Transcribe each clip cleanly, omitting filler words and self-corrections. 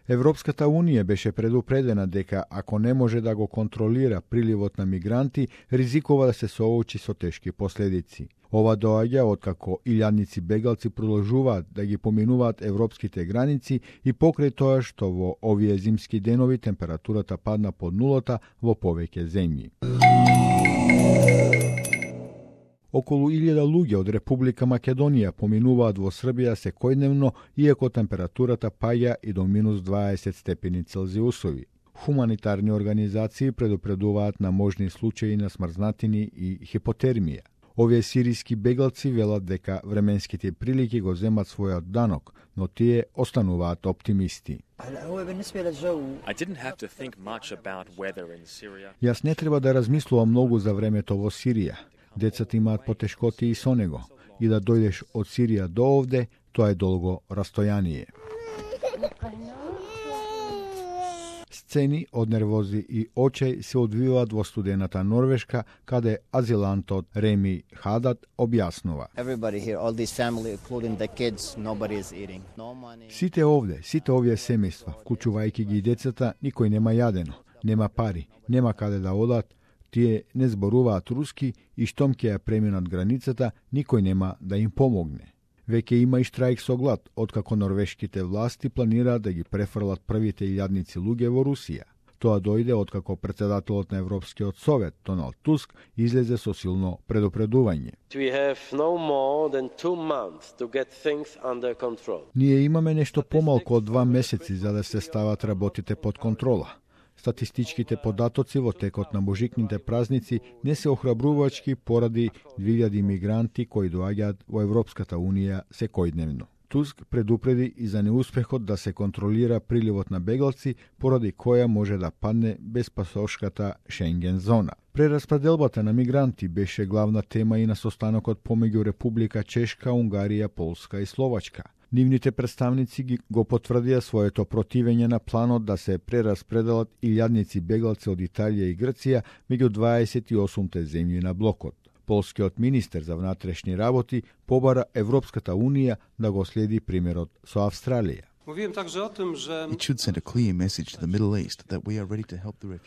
Европската унија беше предупредена дека ако не може да го контролира приливот на мигранти, ризикува да се соочи со тешки последици. Ова доаѓа откако илјадници бегалци продолжуваат да ги поминуваат европските граници и покрај тоа што во овие зимски денови температурата падна под нулата во повеќе земји. Околу 1000 луѓе од Република Македонија поминуваат во Србија секојдневно, иако температурата паѓа и до минус 20 степени Целзиусови. Хуманитарни организации предупредуваат на можни случаи на смрзнатини и хипотермија. Овие сириски бегалци велат дека временските прилики го земат својот данок, но тие остануваат оптимисти. Јас не треба да размислувам многу за времето во Сирија. Децата имаат потешкоти и со него. И да дојдеш од Сирија до овде, тоа е долго растојание. Сцени од нервози и очај се одвиваат во студената Норвешка, каде азилантот Реми Хадат објаснува. Сите овде, сите овие семејства, вклучувајќи ги и децата, никој нема јадено, нема пари, нема каде да одат. Тие не зборуваат руски и штом ќе ја преминат границата, никој нема да им помогне. Веќе има и штрајк со глад, откако норвешките власти планираат да ги префрлат првите илјадници луѓе во Русија. Тоа дојде откако председателот на Европскиот совет, Доналд Туск, излезе со силно предупредување. Ние имаме нешто помалку од 2 месеци за да се стават работите под контрола. Статистичките податоци во текот на божикните празници не се охрабрувачки поради 2000 мигранти кои доаѓаат во Европската унија секојдневно. Туск предупреди и за неуспехот да се контролира приливот на бегалци, поради која може да падне безпасошката Шенген зона. Прераспределбата на мигранти беше главна тема и на состанокот помеѓу Република Чешка, Унгарија, Полска и Словачка. Нивните представници го потврдија своето противење на планот да се прераспределат илјадници бегалци од Италија и Грција меѓу 28 земји на блокот. Полскиот министер за внатрешни работи побара Европската унија да го следи примерот со Австралија.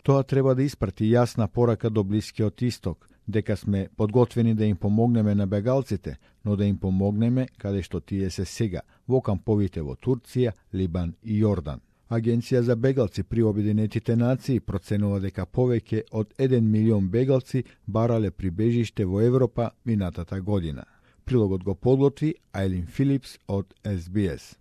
Тоа треба да испрати јасна порака до Блискиот Исток, дека сме подготвени да им помогнеме на бегалците, но да им помогнеме каде што тие се сега, во камповите во Турција, Либан и Јордан. Агенција за бегалци при Обединетите нации проценува дека повеќе од 1 милион бегалци барале прибежиште во Европа минатата година. Прилогот го подготви Айлин Филипс од SBS.